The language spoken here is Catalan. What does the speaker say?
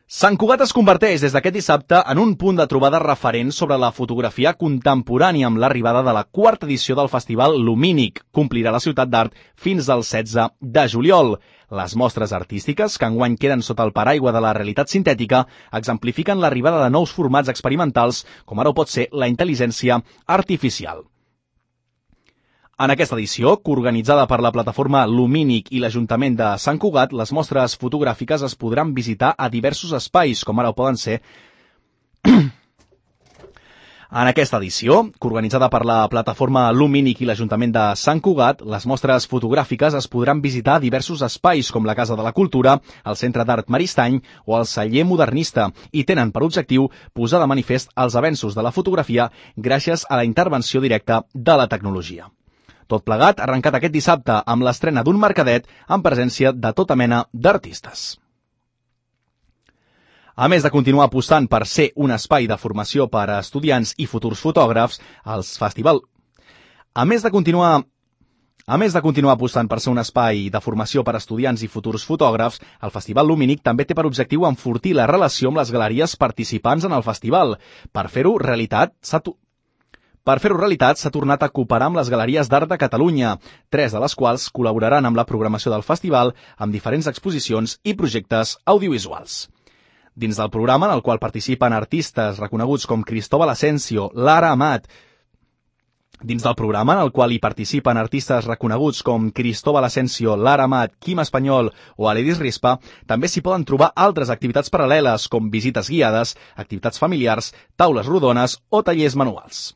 Sant Cugat es converteix des d'aquest dissabte en un punt de trobada referent sobre la fotografia contemporània amb l'arribada de la quarta edició del festival Lumínic. Complirà la ciutat d'art fins al 16 de juliol. Les mostres artístiques, que enguany queden sota el paraigua de la realitat sintètica, exemplifiquen l'arribada de nous formats experimentals, com ara ho pot ser la intel·ligència artificial. En aquesta edició, coorganitzada per la plataforma Lumínic i l'Ajuntament de Sant Cugat, les mostres fotogràfiques es podran visitar a diversos espais, com ara ho poden ser... En aquesta edició, coorganitzada per la plataforma Lumínic i l'Ajuntament de Sant Cugat, les mostres fotogràfiques es podran visitar a diversos espais, com la Casa de la Cultura, el Centre d'Art Maristany o el Celler Modernista, i tenen per objectiu posar de manifest els avenços de la fotografia gràcies a la intervenció directa de la tecnologia. Tot plegat arrencat aquest dissabte amb l'estrena d'un mercadet en presència de tota mena d'artistes. A més de continuar apostant per ser un espai de formació per a estudiants i futurs fotògrafs, A més de continuar apostant per ser un espai de formació per a estudiants i futurs fotògrafs, el Festival Lumínic també té per objectiu enfortir la relació amb les galeries participants en el festival. Per fer-ho realitat, s'ha tornat a cooperar amb les Galeries d'Art de Catalunya, 3 de les quals col·laboraran amb la programació del festival amb diferents exposicions i projectes audiovisuals. Dins del programa, en el qual participen artistes reconeguts com Cristóbal Asensio, Lara Amat, Quim Espanyol o Aledis Rispa, també s'hi poden trobar altres activitats paral·leles com visites guiades, activitats familiars, taules rodones o tallers manuals.